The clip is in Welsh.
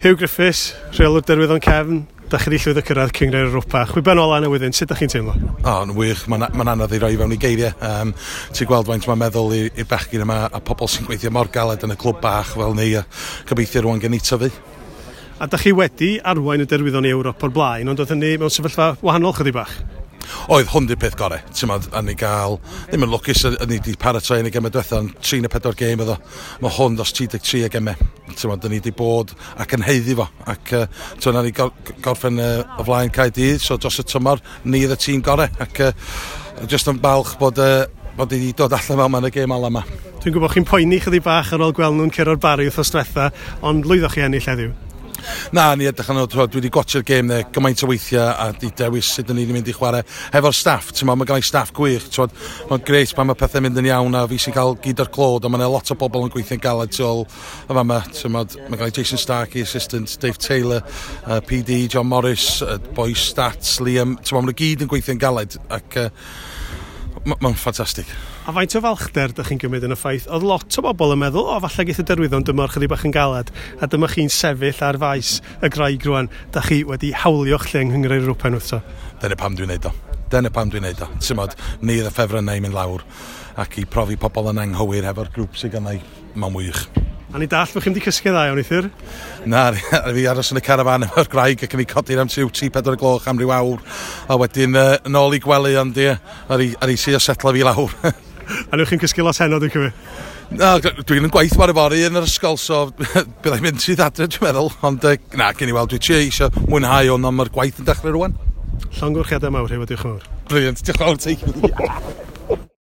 Huw Griffiths, rheolwr Derwyddon Cefn, da chi wedi llwyddo cyrraedd Cynghrair Europa. Chwiban ola newyddion, sut da chi'n teimlo? O, yn wych, mae'n ma anodd i roi fewn i geiriau. Ti'n gweld faint mae'n meddwl i'r bechgyn yma a pobl sy'n gweithio mor galed yn y clwb bach fel ni, a gobeithio rwan gen i tyfu. A da chi wedi arwain y Derwyddon i Ewrop o'r blaen, ond oedd hynny mewn sefyllfa wahanol chydig bach? Oedd, hwn di'r peth gorau, ti'n modd, a ni gael, ddim yn lwcus, a ni wedi paratoi yn y gemau diwetha, ond 3 neu 4 gêm oedd o. Mae hwn dros 33 o gemau, ti'n modd, ni wedi bod ac yn haeddu fo, ac ti'n modd, ni gorffen o flaen Caerdydd, so dros y tymor, ni oedd y tîm gorau, ac jyst yn balch bod wedi dod allan fel yma yn y gêm ola yma. Dwi'n gwybod chi'n poeni chydig bach ar ôl gweld nhw'n curo'r Barri wythnos diwetha, ond lwyddoch chi ennill heddiw? Na, ni edrych arno, dwi wedi gwatsio'r gêm ne, gymaint o weithiau a di dewis sut ni wedi mynd i chwarae hefo'r staff. Ti'n mae gen i staff gwych, ti'n mae'n grêt pan mae pethau'n mynd yn iawn a fi sy'n cael gyd o'r clod, ond mae'n lot o bobl yn gweithio'n galed tu ôl y fama. Ti'n mae gen i Jason Starkey, assistant, Dave Taylor, PD, John Morris, boy Stats, Liam, ti'n maen nhw gyd yn gweithio'n galed ac mae'n ffantastig. A faint o falchder ydych chi'n gymryd yn y ffaith? Oedd lot o bobl yn meddwl, o, falle geith y Derwyddon dymor chydig bach yn galed, a dyma chi'n sefyll ar faes y Graig rwan. Da chi wedi hawlio'ch lle yng Nghynghrair Ewropa unwaith eto. Dyna pam dwi'n neud o. Dyna pam dwi'n neud o. Ti'n modd, ni oedd y ffefrynnau i mynd lawr ac i profi pobl yn anghywir hefo'r grŵp sydd gennau, mae'n wych. A ni dall bod chi'n wedi cysgu dda iawn neithiwr? Na, fi aros yn y carafan efo'r graig ac yn ei codi am 3-4 gloch am ryw awr. A wedyn yn ôl i gwely, ond ie, ar i trio setlo fi lawr. A newch chi'n cysgu lot heno, dwi'n cymryd? Na, dwi'n yn gwaith bore fory yn yr ysgol, so byddai'n mynd sydd adre, dwi'n meddwl. Ond na, gen i weld, dwi'n trio eisiau mwynhau hwn, ond mae'r gwaith yn dechrau rwan. Llongyfarchiadau mawr, hefyd, diolch yn fawr. Brilliant, diolch yn fawr ti.